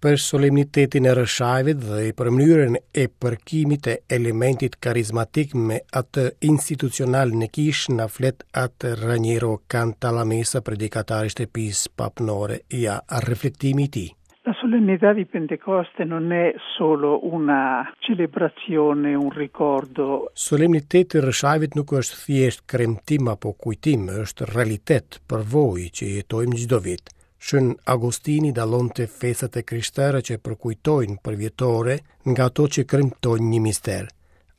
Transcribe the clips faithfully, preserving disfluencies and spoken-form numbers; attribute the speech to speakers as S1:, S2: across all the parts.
S1: Për solemnitetin e Rrëshajit dhe për mënyrën e përkimit të elementit karizmatik me atë institucional në kishë na flet atë Raniero Cantalamessa, predikatari i shtëpisë papnore, ja reflektimi i tij.
S2: La solennità di Pentecoste non è solo una celebrazione, un ricordo.
S1: Solemniteti i Rrëshajit nuk është thjesht kremtim apo kujtim, është realitet, përvojë që jetojmë çdo vit. Shën Agostini dallonte festat e krishtere që përkujtojnë përvjetore nga ato që kremtojnë një mister.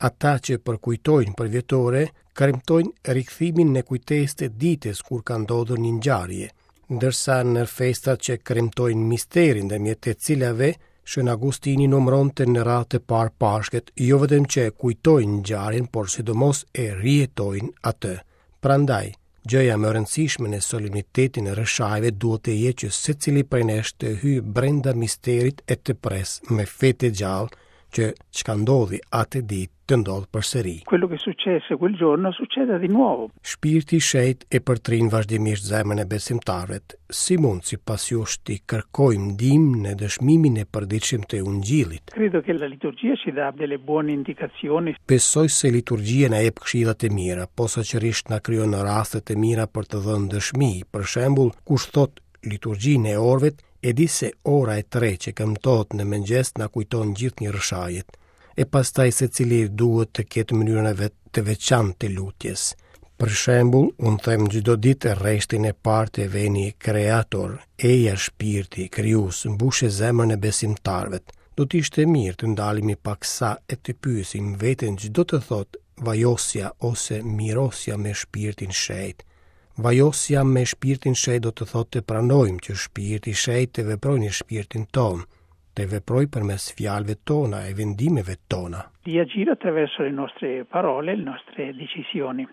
S1: Ata që përkujtojnë përvjetore, kremtojnë rikthimin në kujtesë të ditës kur ka ndodhur një ngjarje, ndërsa në festat që kremtojnë misterin, ndërmjet të cilave Shën Agostini numëronte në radhë të parë Pashkët, jo vetëm që kujtojnë ngjarjen, por sidomos e rijetojnë atë. Prandaj, gjëja më e rëndësishme në solemnitetin e Rrëshajve duhet të jetë që secili prej nesh të hyjë brenda misterit e të pres me fe të gjallë që çka ndodhi atë ditë të ndodhë përsëri.
S2: Quello che successe quel giorno succeda di nuovo.
S1: Shpirti i Shenjt e përtrin vazhdimisht zemrën e besimtarëve. Si mund sipas jush t'i kërkojmë ndihmë në dëshmimin e përditshëm të Ungjillit?
S2: Credo che la liturgia ci dà delle buone indicazioni.
S1: Besoj se liturgjia na jep këshilla të mira, posaçërisht na krijon raste të mira për të dhënë dëshmi. Për shembull, kush thot liturgjinë e orëve, e di se ora e tre që këmtohet në mëngjes na kujton gjithnjë Rrëshajet. E pastaj secili duhet të ketë mënyrën e vet të veçantë të lutjes. Për shembull, unë them çdo ditë rreshtin e parë të Veni Creator, eja shpirti, krijues, mbushe zemrën e besimtarëve. Do të ishte mirë të ndalemi paksa e të pyesim veten ç'do të thotë vajosja ose mirosja me shpirtin shenjt. Vajosja me shpirtin shenjt do të thotë të pranojmë që shpirti shenjt të veprojë në shpirtin tonë, të veprojë përmes fjalëve tona e vendimeve tona.
S2: Di agire attraverso le nostre parole, le nostre decisioni.